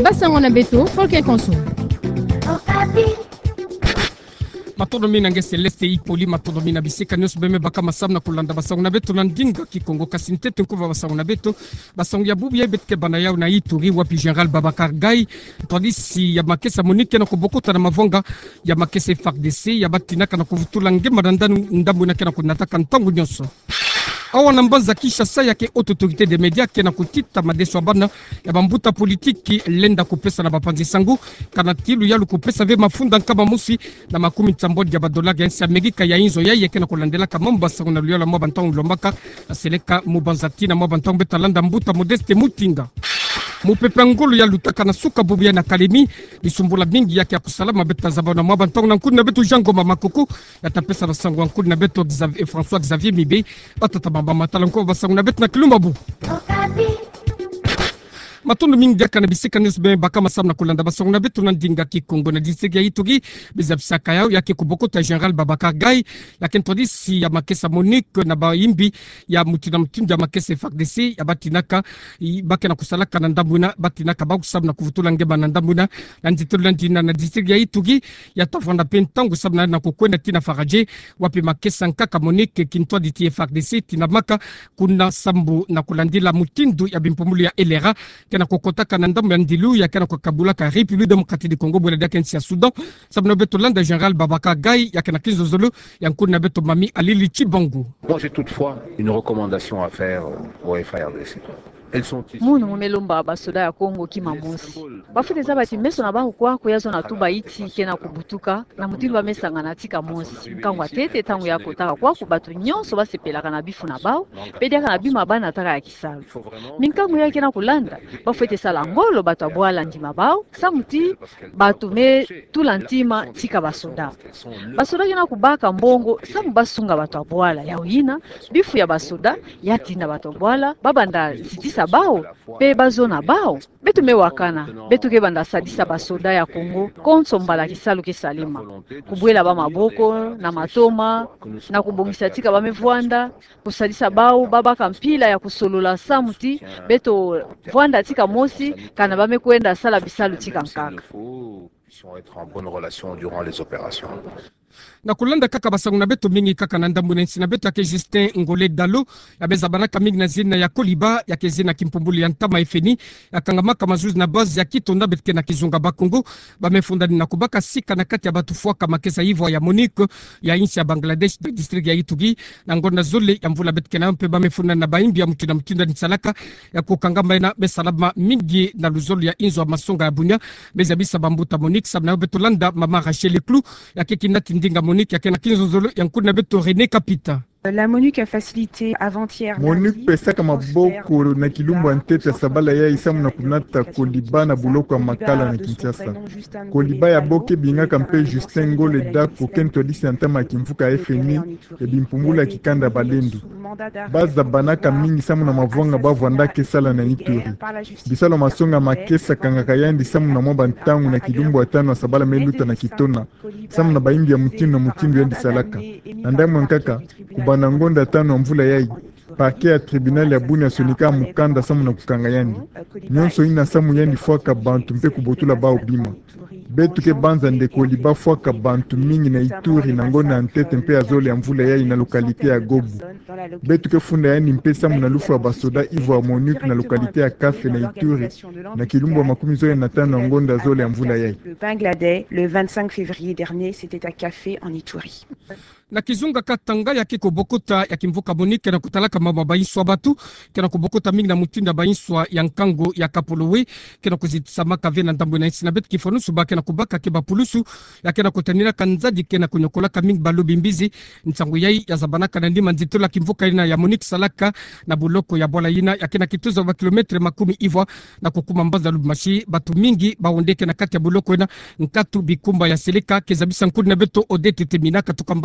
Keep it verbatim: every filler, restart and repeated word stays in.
Basango na beto, Folke Konso. Matondo mingi na nge Céleste Hippolyte, matondo mingi na bisika nyonso bê me baka masamu na kulanda basango na beto na ndinga Kikongo. Kasi ntete nkuva basango na beto, basango ya bubu ya beto ke banda yau na Ituri, wapi Général Babacar Gaye, ntwadisi ya makesa MONUC, ke na kubokota na mavwanga ya makesa F A R D C, ya batinaka na kuvutula nge mananda ndambu ina ke na kunataka ntangu nyonso. Awa na mbanza Kinshasa, ya ke Haute Autorité des Médias ke na kutita madeso ya bana ya bambuta politiki lenda kupesa na bapanzi sango, kana tilu yalu kupesa ve mafunda nkama mosi na makumi nsambwadi ya badolari ya nsi Amerika ya inzo yayi ke na kulandelaka mambu basango na luyalu ya mwa bantangu lombaka na seleka mubanza tii na mwa bantangu. Bê ta landa mbuta Modeste Mutinga. Mupepe ya ngolo ya lutaka na suka bubu ya na Kalemi, bisumbula mingi ya ke ya kusalama bê ta zaba na mwa bantangu na nkundi na beto Jean Ngoma Makoko, ya ta pesa na sango ya nkundi na beto Xavier, François Xavier Mibe. Batata, bamama, tala nkuva basango na beto na kilumbu ya bubu. Matondo mingi diaka na bisika nyonso bê me baka masamu na kulanda basango na beto na ndinga Kikongo. Na district ya Ituri, bê zabisaka yau ya ke kubokota Général Babacar Gaye, ya ke ntwadisi ya makesa MONUC, na bayimbi ya mutindu na mutindu ya makesa F A R D C, ya batinaka, i, ba ke na kusalaka na ndambu ina, batinaka bau samu na kuvutula nge mananda ndambu ina, na nzitelo na ndina na district ya Ituri, ya ta vwanda mpe ntangu samu na, na kukwenda tii na Faradje, wapi makesa nkaka MONUC, kintwadi ti F A R D C, tindamaka kuna sambu na kulandila mutindu ya bimpumbulu ya L R A ke na kukotaka na ndambu ya ndilu ya ke na kukabulaka République Démocratique du Congo, bwela diaka nsi ya Soudan. Samu na beto landa Général Babacar Gaye, ya ke na kinzonzolo ya nkundi na beto Mami Alili Tshibangu. Moi, j'ai toutefois une recommandation à faire, euh, au F A R D C. Elles sont ici. Munu mu me lomba basoda ya Kongo kima mosi. Bafwete zaba ti meso na bango kwa, kwa ya zona tuba iti ke na kubutuka, na mutindu ba me sangana tika mosi. Nkangu ya ntete, ntangu ya kotaka kwaku, bato nyonso ba sepelaka na bifu na bau, mpe diaka na bima ba nataka ya kisalu. Minkangu ya ke na kulanda, bafwete sala ngolo bato ya bwala ndima bau, samu ti bato me tula ntima tika basoda. Basoda ke na kubaka mbongo samu ba sunga bato ya bwala. Yau yina, bifu ya basoda ya tinda bato ya bwala ba banda zitisa bau, mpe ba zona bau. Beto me wakana, beto ke banda sadisa basoda ya Kongo konso mbala kisalu ke salema. Kubwela bau maboko na matoma, na kubongisa tika ba me vwanda, kusadisa bau ba baka mpila ya kusolola samu ti beto vwanda tika mosi, kana ba me kwenda sala bisalu tika nkaka. Puissions être en bonne relation durant les opérations. Na kulanda kaka basango na beto, mingi kaka na ndambu na nsi na beto, ya ke Justin Ngole Dalo, ya me zabanaka mingi na zina ya Koliba, ya ke zina kimpumbulu ya ntama ya F N I, ya kangamaka mazuzi na base ya Kitonda, beto ke na kizunga Bakongo ba me fundani na kubaka sika na kati ya bato fwaka makesa ivwa ya MONUC ya insi ya Bangladesh, na district ya Ituri, na ngonda zole ya mvula beto ke na yo, mpe ba me fundani na bayimbi ya mutindu na mutindu ya nisalaka ya kukanga mbaina, me salama mingi na luzolo ya inzo ya masonga ya Bunia, me zabisa bambuta MONUC. Samu na yo beto landa mama Rachel Clou, ya ke kinati ndinga MONUC, ya ke na kinzonzolo ya nkundi na beto René Kapita. La MONUC a facilité avant-hier. MONUC pesaka maboko na kilumbu ya ntete ya sabala yayi samu na kunata Koliba na buloko ya Makala na Kinshasa. Koliba ya bo ke bingaka mpe Justin Ngole Dalo, ke ntwadisi ya ntama ya kimvuka F N I, ya bimpumbulu ya kikanda Balendu. Ba zabanaka mingi samu na mavwanga ba vwandaka sala na Ituri. Bisalu ya masonga makesa kangaka yandi samu na mwa bantangu na kilumbu ya tanu ya sabala me luta na Kitona, samu na bayimbi ya mutindu na mutindu yandi salaka. Na ndambu ya nkaka, kubanda ngonda tanu ya mvula yayi, parquet ya tribunal ya Bunia sonika mukanda samu na kukanga yandi. Nyonso yina samu yandi fwaka bantu mpe kubotula bau bima. Beto ke banza nde Koliba fwaka bantu mingi na Ituri na ngonda ya ntete mpe ya zole ya mvula yayi na localité ya Gobu. Beto ke funda yandi mpe samu na lufwa ya basoda ivwa ya MONUC na localité ya Kafe na Ituri, na kilumbu ya makumi zole na tanu ya ngonda zole ya mvula yayi. Le Bangladesh, le vingt-cinq février dernier, c'était à Kafé, en Ituri. Na kizunga Katanga, ya ke kubokota ya kimvuka MONUC ke na kutalaka mambu ma bayinswa batu, ke na kubokota mingi na mutindu ya bayinswa ya nkangu ya Kapolowe, ke na kuzitisamaka ve na ndambu na nsi na beto. Kifwanusu ba ke na kubaka ke bapulusu ya ke na kutaninaka nzadi ke na kunyokolaka mingi balobi mbizi. Nsangu yayi ya zabanaka na nima nzitelo ya kimvuka yina ya MONUC salaka na buloko ya bwala yina, ya ke na kituza ba kilomètre makumi ivwa na kukuma mbanza Lubumbashi. Batu mingi ba hondeke na kati ya buloko yina, nkatu bikumba ya seleka. Ke zabisa nkundi na beto Odette Temina, katuka mbanza